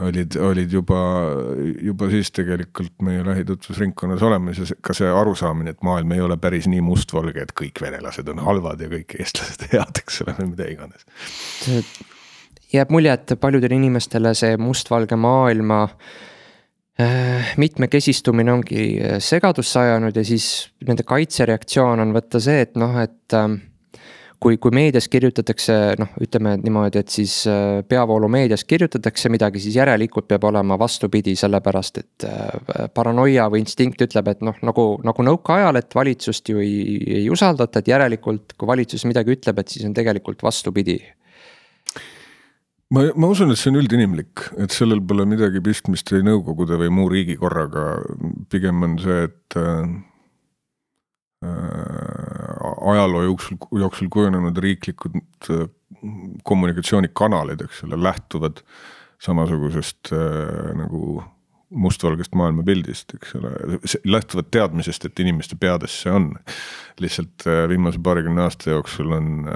olid juba siis tegelikult meie lähitutvusringkonnas olemas ja ka see arusaamine, et maailm ei ole päris nii mustvalge, et kõik venelased on halvad ja kõik eestlased head, eks ole, mida iganes. Jääb mulje, et paljudele inimestele see mustvalge maailma mitmekesistumine ongi segadusse ajanud ja siis nende kaitsereaktsioon on võtta see, et kui meedias kirjutatakse, ütleme niimoodi, et siis peavoolu meedias kirjutatakse midagi, siis järelikult peab olema vastupidi, sellepärast, et paranoia või instinkt ütleb, et nagu nõuka ajal, et valitsust ju ei usaldata, et järelikult kui valitsus midagi ütleb, et siis on tegelikult vastupidi. Ma usun, et see on üldinimlik, et sellel pole midagi pistmist või nõukogude või muu riigikorraga. Pigem on see, et ajaloo jooksul kujunenud riiklikud kommunikatsioonikanalid, eks ole, lähtuvad samasugusest nagu mustvalgest maailmapildist, eks ole, lähtuvad teadmisest, et inimeste peades see on. Lihtsalt viimase 20 aasta jooksul on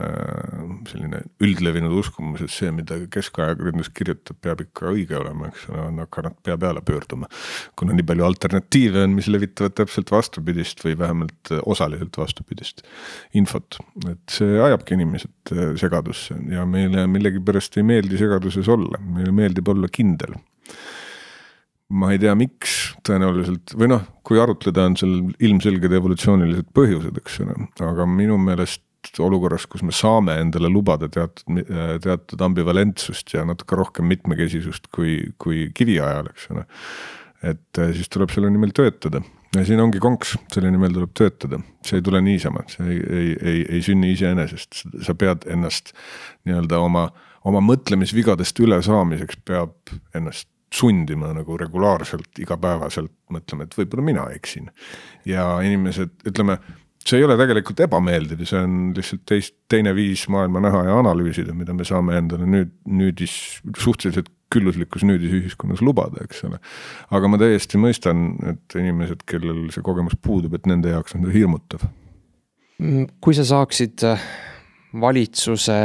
selline üldlevinud uskumus, et see, mida keskajakirjandus kirjutab, peab ikka õige olema, eks ole, on hakanud pea peale pöörduma. Kuna nii palju alternatiive on, mis levitavad täpselt vastupidist või vähemalt osaliselt vastupidist infot. Et see ajabki inimesed segadusse ja meile millegi pärast ei meeldi segaduses olla, meile meeldib olla kindel. Ma ei tea, miks tõenäoliselt, või kui arutleda on seal ilmselged evolutsioonilised põhjused, eks ole, aga minu meelest olukorras, kus me saame endale lubada teatud ambivalentsust ja natuke rohkem mitmekesisust kui kiviajal, eks ole, et siis tuleb selle nimel töötada. Ja siin ongi konks, selle nimel tuleb töötada. See ei tule niisama, see ei sünni iseenesest. Sa pead ennast oma mõtlemisvigadest üle saamiseks peab ennast sundima nagu regulaarselt, igapäevaselt mõtlema, et võib-olla mina eksin. Ja inimesed, ütleme, see ei ole tegelikult ebameeldiv, see on lihtsalt teine viis maailma näha ja analüüsida, mida me saame endale suhteliselt külluslikus nüüdisühiskonnas lubada, eks ole. Aga ma täiesti mõistan, et inimesed, kellel see kogemus puudub, et nende jaoks on see hirmutav. Kui sa saaksid valitsuse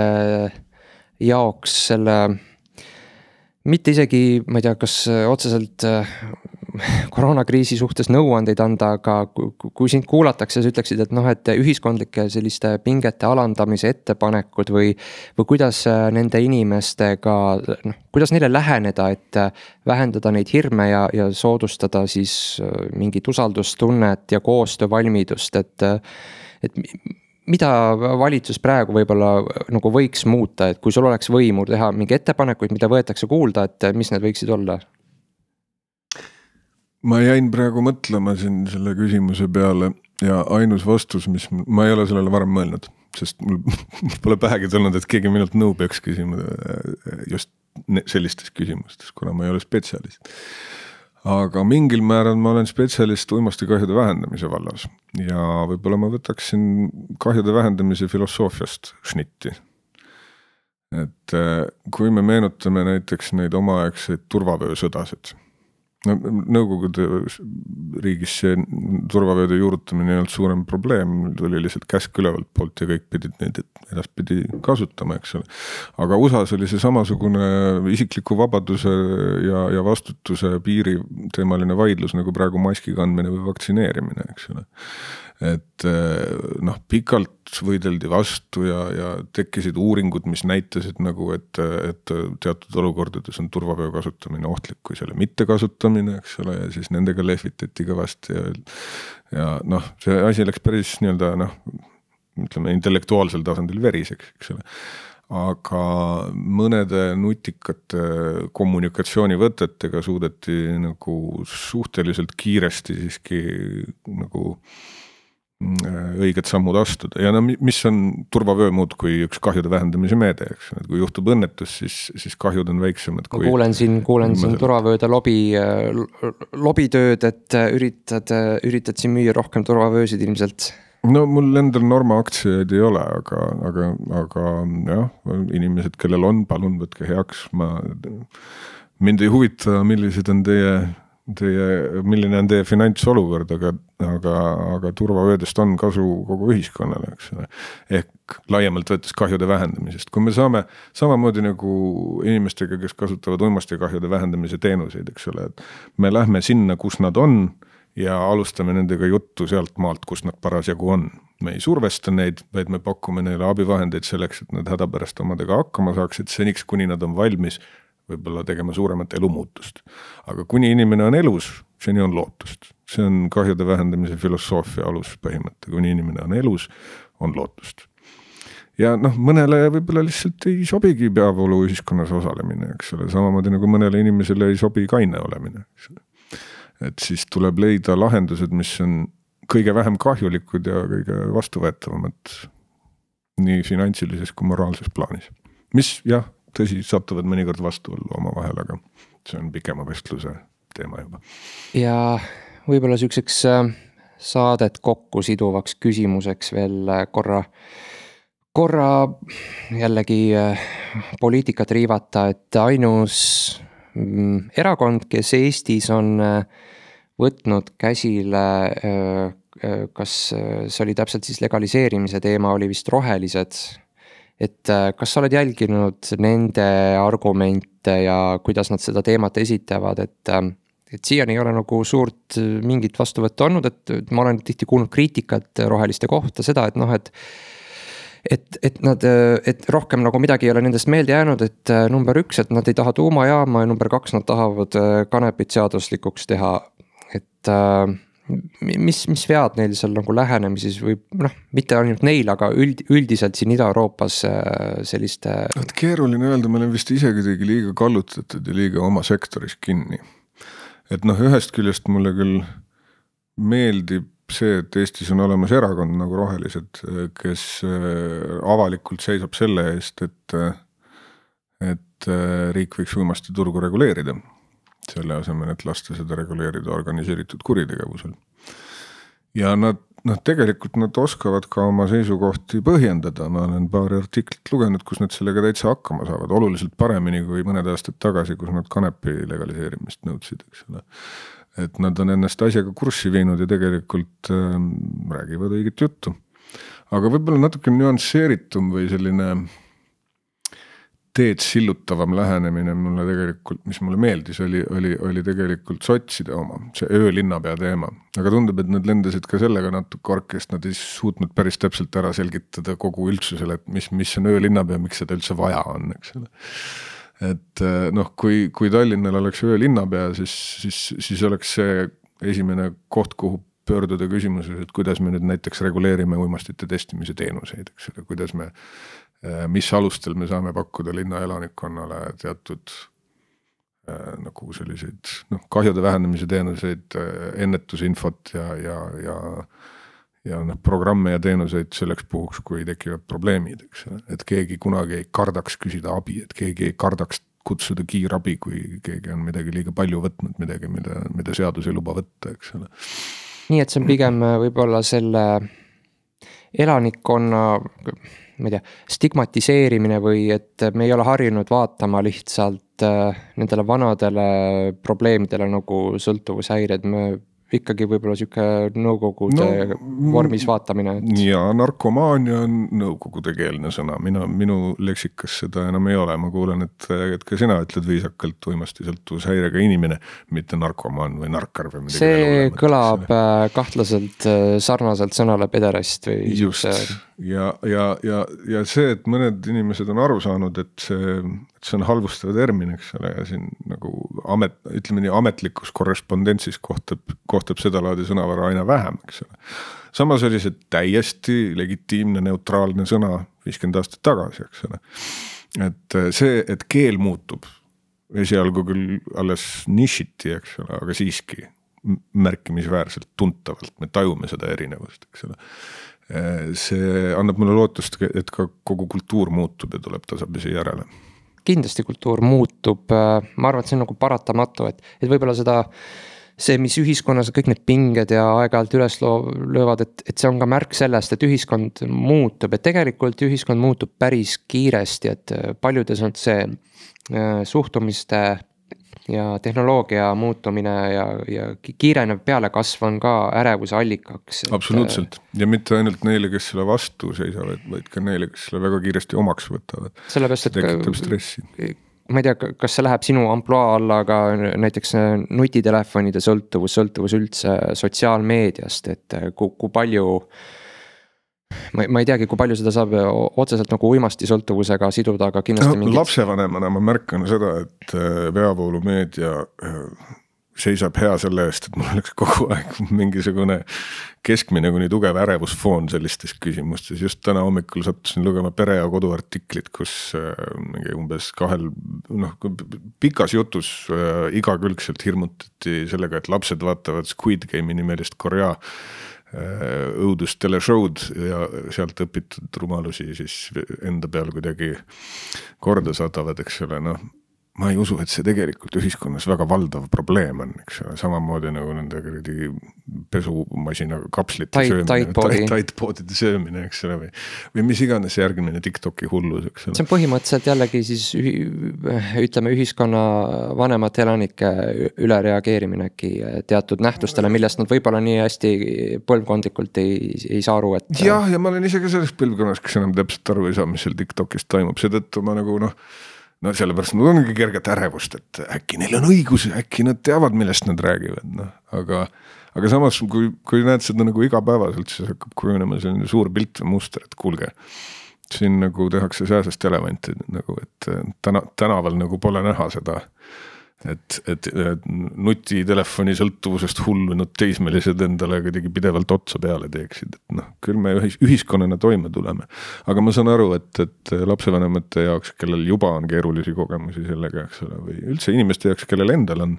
jaoks selle mitte isegi, ma ei tea, kas otseselt koroonakriisi suhtes nõuandeid anda, aga kui sind kuulatakse, sa ütleksid, et ühiskondlike selliste pingete alandamise ettepanekud või kuidas nende inimestega, kuidas neile läheneda, et vähendada neid hirme ja soodustada siis mingit usaldustunnet ja koostöövalmidust, et mida valitsus praegu võib-olla nagu võiks muuta, et kui sul oleks võimu teha mingi ettepanekuid, mida võetakse kuulda, et mis need võiksid olla? Ma jäin praegu mõtlema siin selle küsimuse peale ja ainus vastus, ma ei ole sellele varem mõelnud, sest mul pole pähegi tulnud, et keegi minult nõu peaks küsima just sellistes küsimustes, kuna ma ei ole spetsialist. Aga mingil määral ma olen spetsialist uimastikahjude vähendamise vallas ja võib-olla ma võtaksin kahjude vähendamise filosoofiast šnitti. Et kui me meenutame näiteks neid omaaegseid turvavöösõdasid, no Nõukogude riigis see turvavööde juurutamine ei olnud suurem probleem, tuli lihtsalt käsk ülevalt poolt ja kõik pidid neid edaspidi kasutama, eks ole. aga USAs oli see samasugune isikliku vabaduse ja vastutuse piiri teemaline vaidlus nagu praegu maski kandmine või vaktsineerimine, eks ole. Et noh, pikalt võideldi vastu ja tekkisid uuringud, mis näitasid nagu, et teatud olukordades on turvavöö kasutamine ohtlik kui selle mitte kasutamine, eks ole, ja siis nendega lehvitati kõvasti ja noh, see asi läks päris nii-öelda noh, ütleme intellektuaalsel tasandil veriseks, eks ole. Aga mõnede nutikate kommunikatsioonivõtetega suudeti nagu suhteliselt kiiresti siiski nagu õiged sammud astuda ja no mis on turvavöö muud kui üks kahjude vähendamise meede, eks, et kui juhtub õnnetus, siis kahjud on väiksemad kui... Kuulen siin turvavööde lobitööd, et üritad siin müüa rohkem turvavöösid ilmselt. No mul endal Norma aktsiaid ei ole, aga jah, inimesed, kellel on, palun võtke heaks, mind ei huvita, milline on teie finantsolukord, aga turvavöödest on kasu kogu ühiskonnale, eks ole. Ehk laiemalt võttes kahjude vähendamisest. Kui me saame samamoodi nagu inimestega, kes kasutavad uimastikahjude vähendamise teenuseid, eks ole, et me lähme sinna, kus nad on ja alustame nendega juttu sealt maalt, kus nad parasjagu on. Me ei survesta neid, vaid me pakume neile abivahendeid selleks, et nad hädapärast omadega hakkama saaksid seniks, kuni nad on valmis võib-olla tegema suuremat elumuutust. Aga kuni inimene on elus, seni on lootust. See on kahjude vähendamise filosoofia alus põhimõte. Kuni inimene on elus, on lootust. Ja noh, mõnele võib-olla lihtsalt ei sobigi peavoolu ühiskonnas osalemine, eks ole. Samamoodi nagu mõnele inimesele ei sobi kaine olemine, eks ole. Et siis tuleb leida lahendused, mis on kõige vähem kahjulikud ja kõige vastuvõetavamad nii finantsilises kui moraalses plaanis. Mis jah, tõsi, satuvad mõnikord vastuollu oma vahel, aga see on pikema vestluse teema juba. Ja võib-olla süükseks saadet kokku siduvaks küsimuseks veel korra jällegi poliitikat riivata, et ainus erakond, kes Eestis on võtnud käsile, kas see oli täpselt siis legaliseerimise teema, oli vist rohelised. Et kas sa oled jälginud nende argumente ja kuidas nad seda teemat esitavad, et siiani ei ole nagu suurt mingit vastuvõttu olnud, et ma olen tihti kuulnud kriitikat roheliste kohta seda, et noh, et rohkem nagu midagi ei ole nendest meelde jäänud, et number 1, et nad ei taha tuumajaama ja number 2, nad tahavad kanepit seaduslikuks teha, et mis vead neil seal nagu lähenemises või noh, mitte ainult neil, aga üldiselt siin Ida-Euroopas selliste... Keeruline öelda, me oleme vist isegi liiga kallutatud ja liiga oma sektoris kinni. Et noh, ühest küljest mulle küll meeldib see, et Eestis on olemas erakond nagu rohelised, kes avalikult seisab selle eest, et riik võiks uimasti turgu reguleerida. Selle asemel, et lasta seda reguleerida organiseeritud kuritegevusel. Ja nad tegelikult nad oskavad ka oma seisukohti põhjendada. Ma olen paari artiklit lugenud, kus nad sellega täitsa hakkama saavad. Oluliselt paremini kui mõned aastad tagasi, kus nad kanepi legaliseerimist nõudsid. Et nad on ennast asjaga kurssi viinud ja tegelikult räägivad õiget juttu. Aga võib-olla natuke nüansseeritum või selline teed sillutavam lähenemine mulle tegelikult, mis mulle meeldis, oli tegelikult sotside oma, see öölinnapea teema. Aga tundub, et nad lendasid ka sellega natuke orkest, nad ei suutnud päris täpselt ära selgitada kogu üldsusele, et mis on öölinnapea, miks seda üldse vaja on, eks ole. Et noh, kui Tallinnal oleks öölinnapea, siis oleks see esimene koht, kuhu pöörduda küsimuses, et kuidas me nüüd näiteks reguleerime uimastite testimise teenuseid, eks ole, kuidas me mis alustel me saame pakkuda linna elanikkonnale teatud nagu selliseid kahjude vähendamise teenuseid, ennetusinfot ja programme ja teenuseid selleks puhuks, kui tekivad probleemid, eks. Et keegi kunagi ei kardaks küsida abi, et keegi ei kardaks kutsuda kiirabi, kui keegi on midagi liiga palju võtnud, midagi, mida seadus ei luba võtta, eks. Nii, et see on pigem võib-olla selle elanikkonna ma ei tea, stigmatiseerimine või et me ei ole harjunud vaatama lihtsalt et nendele vanadele probleemidele nagu sõltuvushäired, me ikkagi võib-olla siuke nõukogude vormis vaatamine. Ja narkomaania on nõukogude keelne sõna, minu leksikas seda enam ei ole, ma kuulen, et ka sina ütled viisakalt uimasti sõltuvushäirega inimene, mitte narkomaan või narkar või midagi. See kõlab kahtlaselt sarnaselt sõnale pederast või just, ja see, et mõned inimesed on aru saanud, et see on halvustav termin, eks ole, ja siin nagu ütleme nii, ametlikus korrespondentsis kohtab seda laadi sõnavara aina vähem, eks ole. Samas oli see täiesti legitiimne, neutraalne sõna 50 aastat tagasi, eks ole. Et see, et keel muutub, esialgu küll alles nišiti, eks ole, aga siiski märkimisväärselt tuntavalt, me tajume seda erinevust, eks ole. See annab mulle lootust, et ka kogu kultuur muutub ja tuleb tasapisi järele. Kindlasti kultuur muutub, ma arvan, et see on nagu paratamatu, et võib-olla see, mis ühiskonnas kõik need pinged ja aeg-ajalt üles löövad, et see on ka märk sellest, et ühiskond muutub, et tegelikult ühiskond muutub päris kiiresti, et paljudes on see suhtumiste ja tehnoloogia muutumine ja kiirenev pealekasv on ka ärevuse allikaks. Absoluutselt, ja mitte ainult neile, kes selle vastu seisavad, vaid ka neile, kes selle väga kiiresti omaks võtavad. Sellepärast, tekitab stressi. Ma ei tea, kas see läheb sinu amploa alla, aga näiteks nutitelefonide sõltuvus üldse sotsiaalmeediast, et kui palju ma ei teagi, kui palju seda saab otseselt nagu uimasti sõltuvusega siduda, aga kindlasti mingid... Lapsevanemana ma märkan seda, et peavoolumeedia seisab hea selle eest, et mul oleks kogu aeg mingisugune keskmine kuni tugev ärevusfoon sellistes küsimustes. Just täna hommikul sattusin lugema Pere ja Kodu artiklit, kus umbes pikas jutus igakülgselt hirmutati sellega, et lapsed vaatavad Squid Game'i nimelist Korea õudust teleshow'd ja sealt õpitud rumalusi siis enda peal kuidagi korda saadavad, eks ole, ma ei usu, et see tegelikult ühiskonnas väga valdav probleem on, eks ole, samamoodi nagu nende pesumasinaga kapslite söömine, taitpoodide söömine, eks ole, või mis iganes järgmine TikToki hullus, eks ole. See on põhimõtteliselt jällegi siis ütleme ühiskonna vanemate elanike ülereageerimine äkki teatud nähtustele, millest nad võib-olla nii hästi põlvkondlikult ei saa aru, et... Jah, ja ma olen ise ka selles põlvkonnas, kes enam täpselt aru ei saa, mis seal TikTokis toimub, seetõttu ma nagu sellepärast mul ongi kerget ärevust, et äkki neil on õigus, äkki nad teavad, millest nad räägivad, aga samas, kui näed seda nagu igapäevaselt, siis hakkab kujunema selline suur pilt või muster, et kuulge, siin nagu tehakse sääsest elevanti, nagu, et tänaval nagu pole näha seda, et nutitelefoni sõltuvusest hullunud teismelised endale kuidagi pidevalt otsa peale teeksid, et küll me ühiskonnana toime tuleme, aga ma saan aru, et lapsevanemate jaoks, kellel juba on keerulisi kogemusi sellega, eks ole, või üldse inimeste jaoks, kellel endal on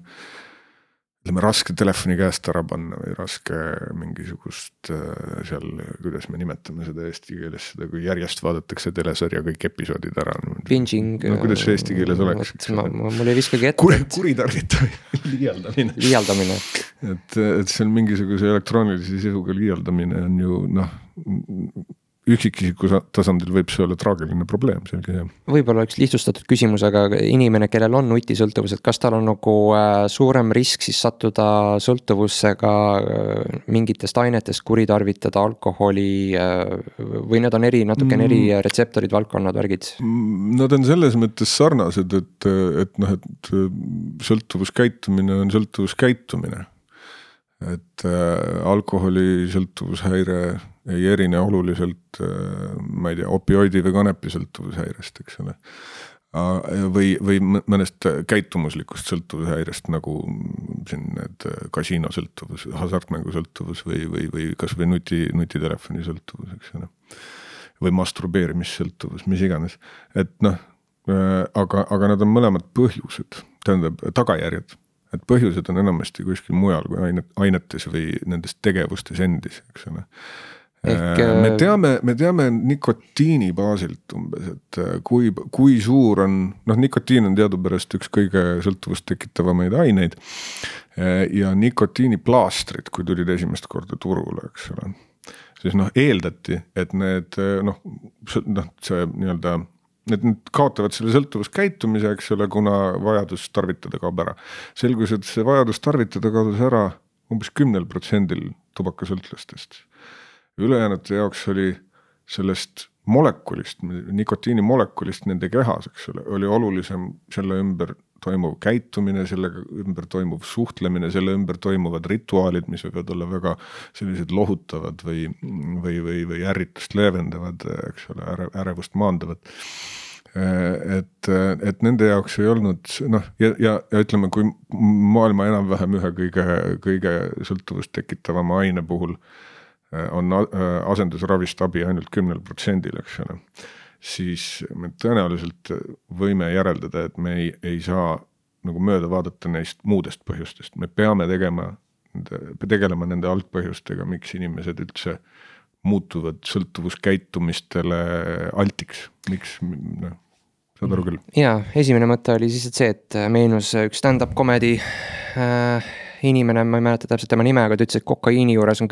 raske telefoni käest ära panna või raske mingisugust seal, kuidas me nimetame seda eesti keeles, seda kui järjest vaadatakse telesarja kõik episoodid ära. Binging. Kuidas see eesti keeles oleks? Mul ei viskagi ette. Kuritarvitamine. Liialdamine. Et seal mingisuguse elektroonilise sisuga liialdamine on ju üksikisiku tasandil võib see olla traagiline probleem, selge see. Võib-olla üks lihtsustatud küsimus, aga inimene, kellel on nutisõltuvus, et kas tal on nagu suurem risk siis sattuda sõltuvussega mingitest ainetest, kuritarvitada alkoholi või need on natukene eri retseptorid, valdkonnad, värgid? Nad on selles mõttes sarnased, et sõltuvuskäitumine on sõltuvuskäitumine. Et alkoholi sõltuvushäire ei erine oluliselt, ma ei tea, opioidi või kanepi sõltuvushäirest, eks ole. Või mõnest käitumuslikust sõltuvushäirest, nagu siin need kasiino sõltuvus, hasartmängu sõltuvus või kas või nutitelefoni sõltuvus, eks ole. Või masturbeerimissõltuvus, mis iganes. Et aga nad on mõlemad põhjused, tähendab tagajärjed. Et põhjused on enamasti kuskil mujal kui ainetes või nendes tegevustes endis, eks ole. Me teame nikotiini baasilt umbes, et kui suur on, nikotiin on teadupärast üks kõige sõltuvust tekitavamaid aineid ja nikotiiniplaastrid, kui tulid esimest korda turule, eks ole, siis eeldati, et need, see nii-öelda et nad kaotavad selle sõltuvuskäitumise, eks ole, kuna vajadus tarvitada kaob ära. Selgus, et see vajadus tarvitada kaodas ära umbes 10% tubakasõltlastest. Ülejäänute jaoks oli sellest molekulist, nikotiini molekulist nende kehas, eks ole, oli olulisem selle ümber toimuv käitumine, selle ümber toimuv suhtlemine, selle ümber toimuvad rituaalid, mis võivad olla väga sellised lohutavad või ärritust leevendavad, eks ole, ärevust maandavad. Et nende jaoks ei olnud, noh, ja ütleme, kui maailma enam-vähem ühe kõige sõltuvust tekitavama aine puhul on asendusravist abi ainult 10%, eks ole, siis me tõenäoliselt võime järeldada, et me ei saa nagu mööda vaadata neist muudest põhjustest. Me peame tegelema nende algpõhjustega, miks inimesed üldse muutuvad sõltuvuskäitumistele altiks. Miks, saad aru küll? Jaa, esimene mõte oli siis see, et meenus üks stand-up comedy inimene, ma ei mäleta täpselt tema nime, aga ta ütles, et kokaiini juures on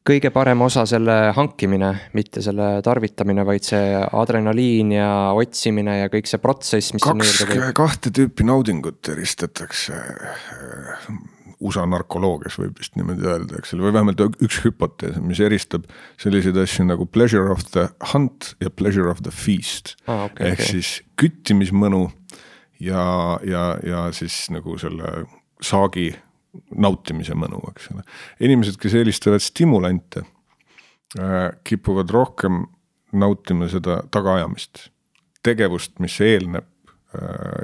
kõige parem osa selle hankimine, mitte selle tarvitamine, vaid see adrenaliin ja otsimine ja kõik see protsess, mis kahte tüüpi naudingut eristatakse USA narkoloogias, võib vist niimoodi öelda, eks ole, või vähemalt üks hüpotees, mis eristab selliseid asju nagu pleasure of the hunt ja pleasure of the feast. Ehk siis küttimismõnu ja siis nagu selle saagi nautimise mõnu, eks ole. Inimesed, kes eelistavad stimulante, kipuvad rohkem nautima seda tagaajamist, tegevust, mis eelneb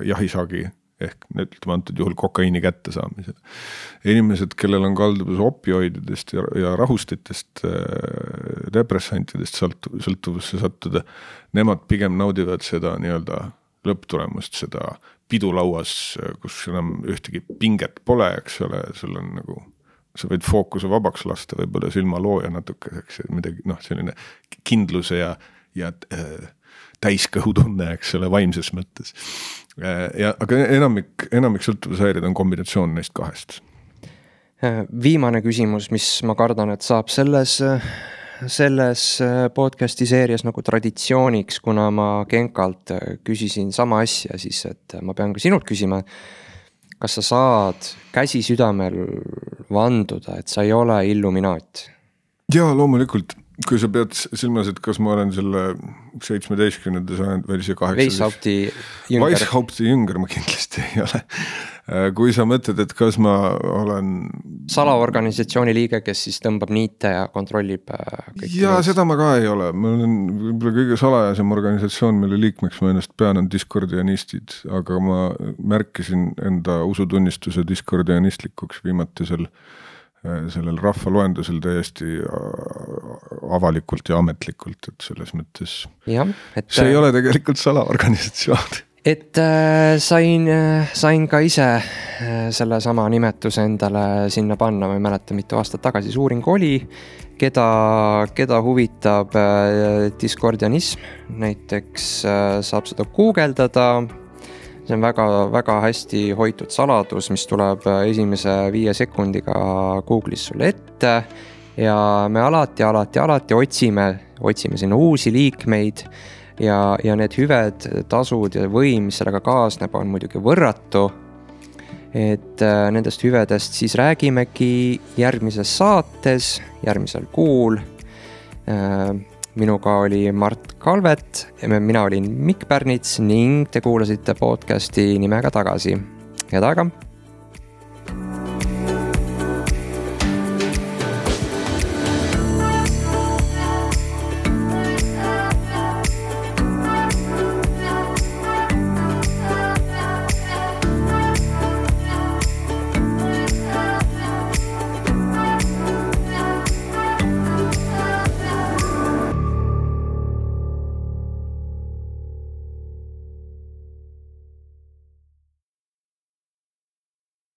jahisaagi ehk ütleme antud juhul kokaiini kätte saamisele. Inimesed, kellel on kalduvus opioididest ja rahustitest, depressantidest sõltuvusse sattuda, nemad pigem naudivad seda nii-öelda lõpptulemust, seda pidulauas, kus enam ühtegi pinget pole, eks ole, sul on nagu, sa võid fookuse vabaks lasta, võib-olla silma looja natukeseks, midagi, selline kindluse ja täiskõhutunne, eks ole, vaimses mõttes. Aga enamik sõltuvushäired on kombinatsioon neist kahest. Viimane küsimus, mis ma kardan, et saab selles podcasti seerias nagu traditsiooniks, kuna ma Genkalt küsisin sama asja, siis et ma pean ka sinult küsima, kas sa saad käsi südamel vanduda, et sa ei ole illuminaat? Jaa, loomulikult. Kui sa pead silmas, et kas ma olen selle 17. sajand või see 18. Weishaupti jünger ma kindlasti ei ole. Kui sa mõtled, et kas ma olen salaorganisatsiooni liige, kes siis tõmbab niite ja kontrollib ja seda ma ka ei ole. Ma olen võib-olla kõige salajasem organisatsioon, mille liikmeks ma ennast pean, on diskordianistid, aga ma märkisin enda usutunnistuse diskordianistlikuks viimatisel sellel rahvaloendusel täiesti avalikult ja ametlikult, et selles mõttes see ei ole tegelikult salaorganisatsioon. Et sain ka ise selle sama nimetuse endale sinna panna, ma ei mäleta mitu aastat tagasi suuring oli, keda huvitab diskordianism, näiteks saab seda guugeldada. See on väga hästi hoitud saladus, mis tuleb esimese 5 sekundiga Google'is sulle ette ja me alati otsime sinna uusi liikmeid ja need hüved, tasud ja võim, mis sellega kaasneb, on muidugi võrratu. Et nendest hüvedest siis räägimegi järgmises saates, järgmisel kuul. Minuga oli Mart Kalvet, mina olin Mikk Pärnits ning te kuulasite podcasti nimega Tagasi. Head aega!